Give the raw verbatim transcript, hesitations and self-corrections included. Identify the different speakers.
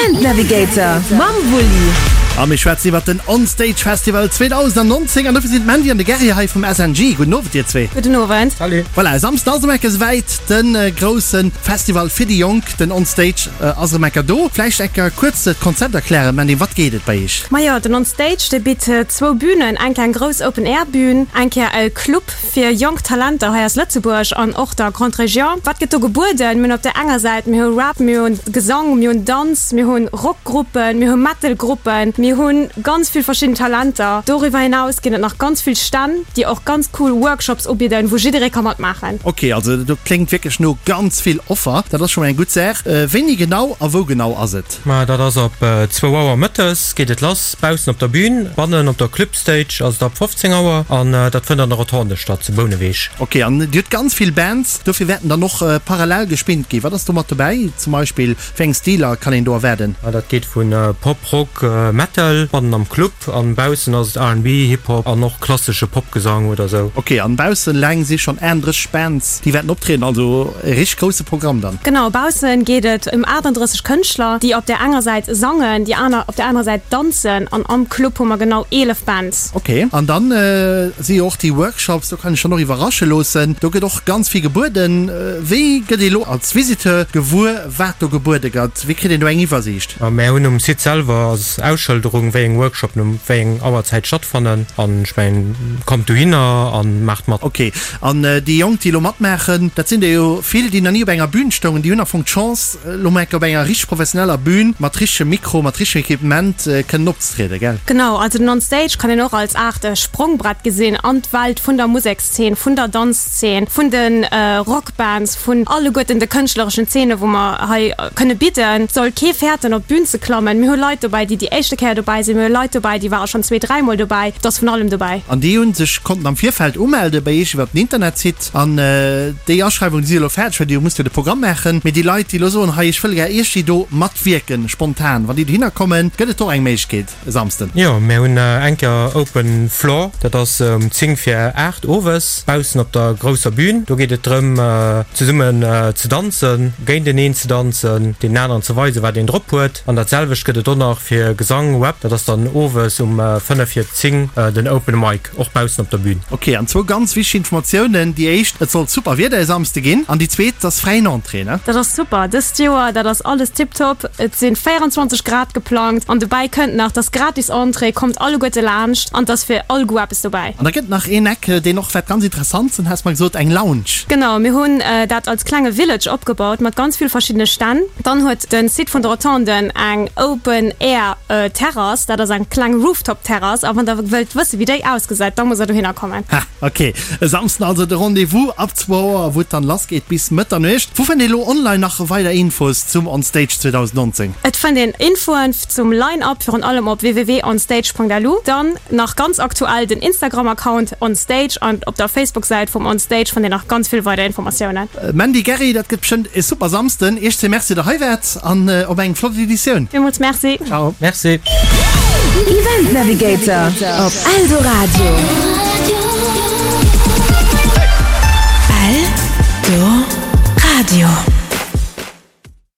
Speaker 1: Event Navigator mam Wulli.
Speaker 2: A mir schwätzen iwwert den On Stage Festival zweedausendnonzéng an dofir sinn d'Mandy an de Gerry hei vum S N G. Gudden Owend dir zwee.
Speaker 3: Gudden Owend.
Speaker 4: Salut.
Speaker 2: Voilà, e Samsden ass erëm enke souwäit, de grousse Festival fir déi Jonk, den On Stage ass erëm enker do. Vläicht enker kuerz d'Konzept erklären, Mandy, wat geet et bei iech?
Speaker 3: Majo, den On Stage, dee bitt zwou Bünen, eng Kéier eng grouss Open Air Bühn, eng Kéier e Club fir jonk Talenter hei aus Lëtzebuerg an och der Grande Région. Wat gëtt do gebueden? Mir hunn op der enger Säit, mir hu Rap, mir hunn Gesang, mir hunn Danz, mir hunn Rockgruppen, mir hu Metalgruppen, mir hu ganz vill verschidden Talenter. Doriwwer hinaus ginn et nach ganz vill Stänn, déi och ganz cool Workshops ubidden, wou jidderee ka matmaachen.
Speaker 2: Ok, also dat kléngt wierklech no ganz vill Offer. Dat ass scho mol eng gutt Saach. Wéini genau a wou genau ass et?
Speaker 4: Ma dat ass ab zwou Auer mëttes geet et lass baussen op der Bühn. Bannen op der Club Stage ass et ab fofzéng Auer an dat fënnt an der Rotonde statt zu Bouneweg.
Speaker 2: Ok, an Dir hutt ganz vill Bands, dofir wäerten dann och parallel gespillt ginn. Wat ass do mat dobäi? Zum Beispill, wéi eng Stiler kann een do erwaarden?
Speaker 4: Dat geet vu Pop, Rock, Metal bannen am Club an baussen ass et R and B, Hip Hop an och klassesche Popgesang oder sou.
Speaker 2: Ok, an baussen eleng si schonn aatenddrësseg Bands, déi wäerten optrieden, also e richteg grousse Programm dann.
Speaker 3: Genau, baussen geet et ëm aachtanddrësseg Kënschtler, déi op där enger Säit sangen, déi aner op der anerer Säit danzen an am Club hu mer genau eelef Bands.
Speaker 2: Ok, an dann si jo och déi Workshops, do kann ech dann och iwwerrasche loossen, do gëtt och ganz vill gebueden. Wéi gëtt ee lo als Visiteur gewuer, wat do gebuede gëtt? Wéi kritt een do eng Iwwersiicht?
Speaker 4: Mär hunn um Site selwer ass Ausschëlderung, wéi eng Workshopen um wéi eng Auerzäit stattfannen an ech mengen, kommt dohinner an maacht mat.
Speaker 2: Ok, an déi Jonk, déi elo matmaachen, dat sinn der jo vill, déi nach ni op enger Bühn stoungen, déi hunn am Fong d'Chance, elo mol eng Kéier op enger richteg professioneller Bühn mat richtegem Mikro, mat richtegem Equipement kënnen opzetrieden, gell?
Speaker 3: Genau, also den On Stage kann een och als Aart Sprongbrett gesinn an d'Welt vun der Musekszeen, vun der Danzzeen, vun de Rockbands, vun alleguerten de kënschtlereschen Zeene wou mer hei kënne bidden. Et soll kee fäerten op d'Bün ze klammen. Mir hu Leit dobäi, déi déi éischte Kéier dobäi sinn, mir hu Leit dobäi, déi ware schonn zwee, dräi Mol dobäi. Et ass vun allem dobäi.
Speaker 2: An déi hu sech konnten am Virfeld umelde bei iech iwwer den Internetsite an déi Aschreiwungen, déi si elo fäerdeg, well dir musst jo de Programm maachen. Mee déi Leit, déi elo soen, hei ech wëll gär iergdi do matwierken, spontan, wann déi dohinner kommen, gëtt et do och eng Méiglechkeet e Samsden?
Speaker 4: Jo, mir hunn eng Kéier Open Floor, dat ass um zéng vir aacht owes baussen op der grousser Bühn. Do geet et drëm, zesummen ze danzen, géinteneen ze danzen, deenen aneren ze weisen, wat een drop huet. An dat selwecht gëtt et och nach fir Gesang, Rap, dat ass dann owes um fënnef vir zéng den Open Mic, och baussen op der Bühn.
Speaker 2: Ok, an zwou ganz wichteg Informatiounen, déi éischt, et soll super Wieder e Samsde ginn, an déi zweet, et ass fräien Entrée, ne?
Speaker 3: Dat ass super dëst Joer, dat ass alles tiptop. Et sinn véierundzwanzeg Grad geplangt an dobäi kënnt nach, dass gratis Entrée, kommt alleguerte laanscht an et ass fir all Goût eppes dobäi.
Speaker 2: An da gëtt nach een Eck, deen och wäert ganz interessant sinn, has mer gesot, eng Lounge.
Speaker 3: Genau, mir hunn dat als klenge Village opgebaut mat ganz vill verschiddene Stänn. Dann huet de Site vun der Rotonde eng Open Air Terrass, dat ass eng kleng Rooftop Terrass a wann der wëllt wësse wéi déi ausgesäit, da musst der dohinner kommen.
Speaker 2: Ha, ok. E Samsden also de Rendez-vous ab zwou Auer, wou et dann lass geet bis Mëtternuecht. Wou fënnt ee lo online nach weider Infos zum On Stage zweedausendnonzéng?
Speaker 3: Et fënnt een Infoen zum Line-Up virun allem op w w w punkt onstage punkt l u. Dann nach ganz aktuell den Instagram-Account onstage an op der Facebook-Säit vum Onstage fannt dir nach ganz vill weider Informatiounen.
Speaker 2: Mandy, Gerry, dat gëtt bestëmmt e super Samsden. Iech zwee Merci, der hei waart an op eng flott Editioun.
Speaker 3: Villmools Merci.
Speaker 2: Ciao.
Speaker 4: Merci.
Speaker 1: Event Navigator op Eldoradio. Eldoradio.